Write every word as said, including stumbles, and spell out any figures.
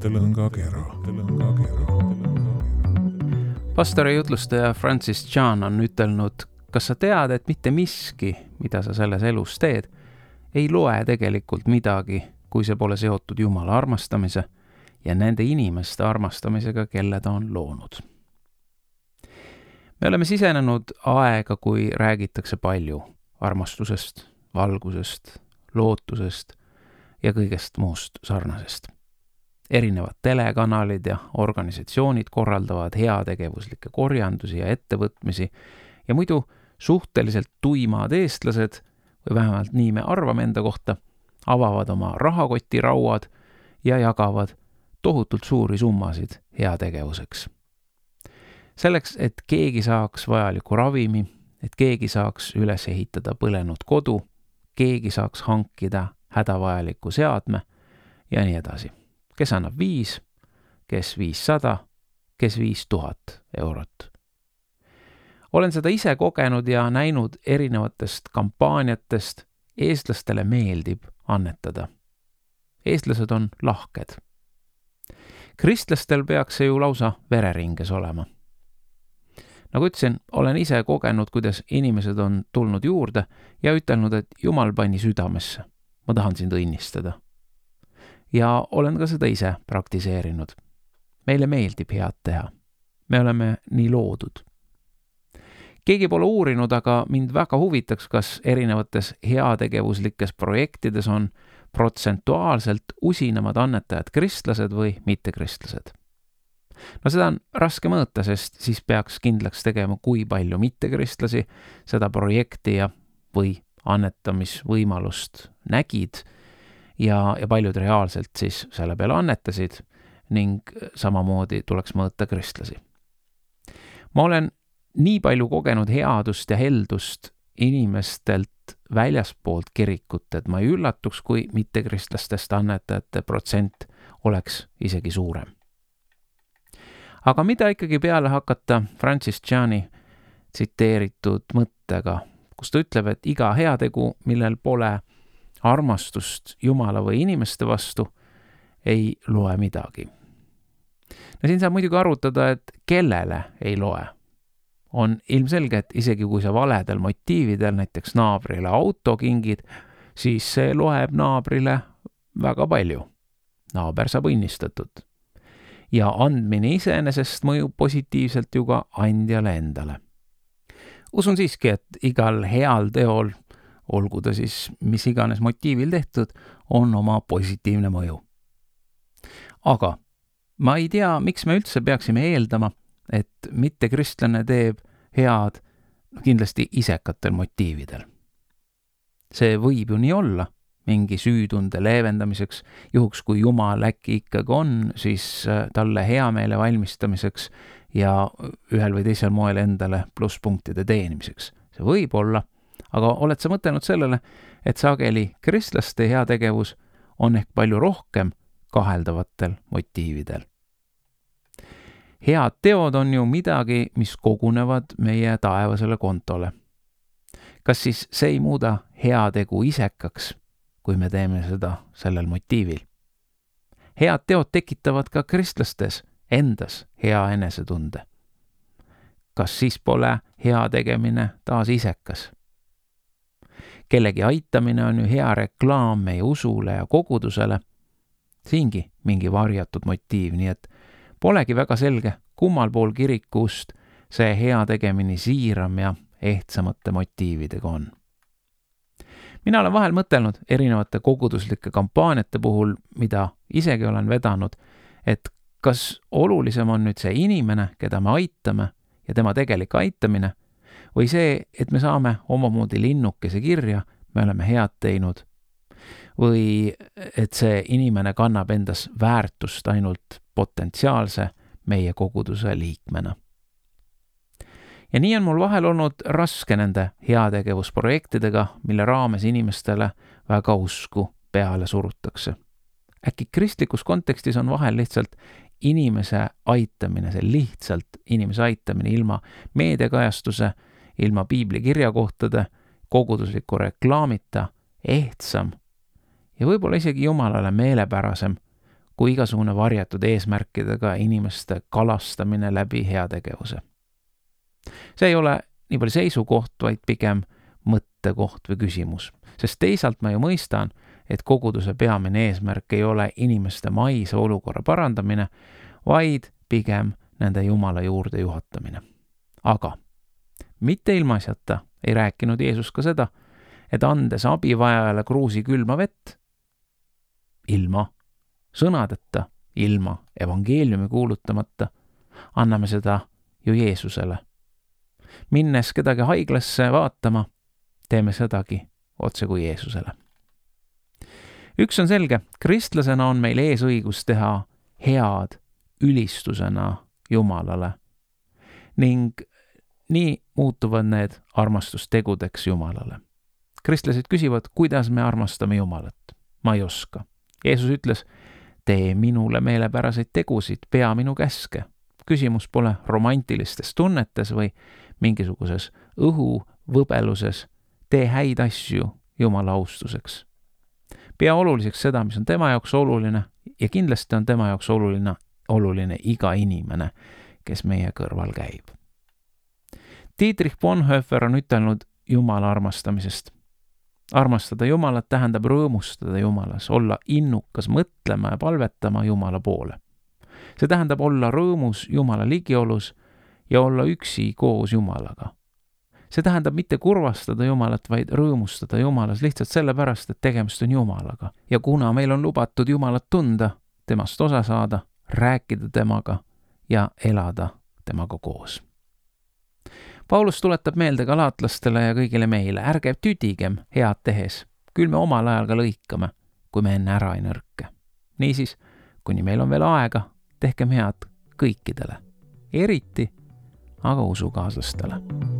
Mõttelõngakera. Pastori jutlustaja Francis Chan on ütelnud, kas sa tead, et mitte miski, mida sa selles elus teed, ei loe tegelikult midagi, kui see pole seotud Jumala armastamise ja nende inimeste armastamisega, kelle ta on loonud. Me oleme sisenenud aega, kui räägitakse palju armastusest, valgusest, lootusest ja kõigest muust sarnasest. Erinevad telekanalid ja organisatsioonid korraldavad heategevuslikke korjandusi ja ettevõtmisi ja muidu suhteliselt tuimad eestlased, või vähemalt nii me arvame enda kohta, avavad oma rahakotirauad ja jagavad tohutult suuri summasid heategevuseks. Selleks, et keegi saaks vajaliku ravimi, et keegi saaks üles ehitada põlenud kodu, keegi saaks hankida hädavajaliku seadme ja nii edasi. Kes annab viis, kes viissada, kes viis tuhat eurot. Olen seda ise kogenud ja näinud erinevatest kampaaniatest. Eestlastele meeldib annetada. Eestlased on lahked. Kristlastel peaks see ju lausa vereringes olema. Nagu ütlesin, olen ise kogenud, kuidas inimesed on tulnud juurde ja ütelnud, et Jumal pani südamesse. Ma tahan sind õnnistada. Ja olen ka seda ise praktiseerinud. Meile meeldib head teha. Me oleme nii loodud. Keegi pole uurinud, aga mind väga huvitaks, kas erinevates heategevuslikes projektides on protsentuaalselt usinamad annetajad kristlased või mittekristlased. No seda on raske mõõta, sest siis peaks kindlaks tegema, kui palju mittekristlasi seda projekti ja või annetamisvõimalust nägid ja, ja paljud reaalselt siis selle peale annetasid ning samamoodi tuleks mõõta kristlasi. Ma olen nii palju kogenud headust ja heldust inimestelt väljaspoolt kirikut, et ma ei üllatuks, kui mittekristlastest annetajate protsent oleks isegi suurem. Aga mida ikkagi peale hakata Francis Chani tsiteeritud mõttega, kus ta ütleb, et iga heategu, millel pole armastust Jumala või inimeste vastu, ei loe midagi. No siin saab muidugi arutada, et kellele ei loe. On ilmselge, et isegi kui sa valedel motiividel näiteks naabrile auto kingid, siis see loeb naabrile väga palju. Naaber saab õnnistatud. Ja andmine iseenesest mõjub positiivselt ju ka andjale endale. Usun siiski, et igal heal teol, olgu ta siis mis iganes motiivil tehtud, on oma positiivne mõju. Aga ma ei tea, miks me üldse peaksime eeldama, et mittekristlane teeb head kindlasti isekatel motiividel. See võib ju nii olla, mingi süütunde leevendamiseks, juhuks kui Jumal äkki ikkagi on, siis talle heameele valmistamiseks ja ühel või teisel moel endale plusspunktide teenimiseks. See võib olla, aga oled sa mõtelnud sellele, et sageli kristlaste heategevus on ehk palju rohkem kaheldavatel motiividel. Head teod on ju midagi, mis kogunevad meie taevasele kontole. Kas siis see ei muuda heategu isekaks, kui me teeme seda sellel motiivil? Head teod tekitavad ka kristlastes endas hea enesetunde. Kas siis pole hea tegemine taas isekas? Kellegi aitamine on ju hea reklaam meie usule ja kogudusele. Siingi mingi varjatud motiiv, nii et polegi väga selge, kummal pool kirikust see hea tegemine siiram ja ehtsamate motiividega on. Mina olen vahel mõtelnud erinevate koguduslike kampaaniate puhul, mida isegi olen vedanud, et kas olulisem on nüüd see inimene, keda me aitame ja tema tegelik aitamine, või see, et me saame omamoodi linnukese kirja, me oleme head teinud, või et see inimene kannab endas väärtust ainult potentsiaalse meie koguduse liikmena. Ja nii on mul vahel olnud raske nende heategevusprojektidega, mille raames inimestele väga usku peale surutakse. Äkki kristlikus kontekstis on vahel lihtsalt inimese aitamine, see lihtsalt inimese aitamine ilma meediakajastuse, ilma piibli kirjakohtade, kogudusliku reklaamita, ehtsam ja võib-olla isegi Jumalale meelepärasem kui igasugune varjatud eesmärkidega inimeste kalastamine läbi heategevuse. See ei ole nii palju seisukoht, vaid pigem mõttekoht või küsimus, sest teisalt ma ju mõistan, et koguduse peamine eesmärk ei ole inimeste maise olukorra parandamine, vaid pigem nende Jumala juurde juhatamine. Aga mitte ilmaasjata ei rääkinud Jeesus ka seda, et andes abivajajale kruusi külma vett, ilma sõnadeta, ilma evangeeliumi kuulutamata, anname seda ju Jeesusele. Minnes kedagi haiglasse vaatama, teeme sedagi otse kui Jeesusele. Üks on selge, kristlasena on meil ees õigus teha head ülistusena Jumalale ning nii muutuvad need armastustegudeks Jumalale. Kristlased küsivad, kuidas me armastame Jumalat. Ma ei oska. Jeesus ütles, tee minule meelepäraseid tegusid, pea minu käske. Küsimus pole romantilistes tunnetes või mingisuguses õhuvõbeluses. Tee häid asju Jumala austuseks. Pea oluliseks seda, mis on tema jaoks oluline ja kindlasti on tema jaoks oluline, oluline iga inimene, kes meie kõrval käib. Dietrich Bonhoeffer on ütelnud Jumala armastamisest. Armastada Jumalat tähendab rõõmustada Jumalas, olla innukas mõtlema ja palvetama Jumala poole. See tähendab olla rõõmus Jumala ligiolus ja olla üksi koos Jumalaga. See tähendab mitte kurvastada Jumalat, vaid rõõmustada Jumalas lihtsalt sellepärast, et tegemist on Jumalaga. Ja kuna meil on lubatud Jumalat tunda, temast osa saada, rääkida temaga ja elada temaga koos. Paulus tuletab meelde galaatlastele ja kõigile meile, ärge tüdigem head tehes, küll me omal ajal ka lõikame, kui me enne ära ei nõrke. Niisiis, kuni meil on veel aega, tehkem head kõikidele, eriti aga usukaaslastele.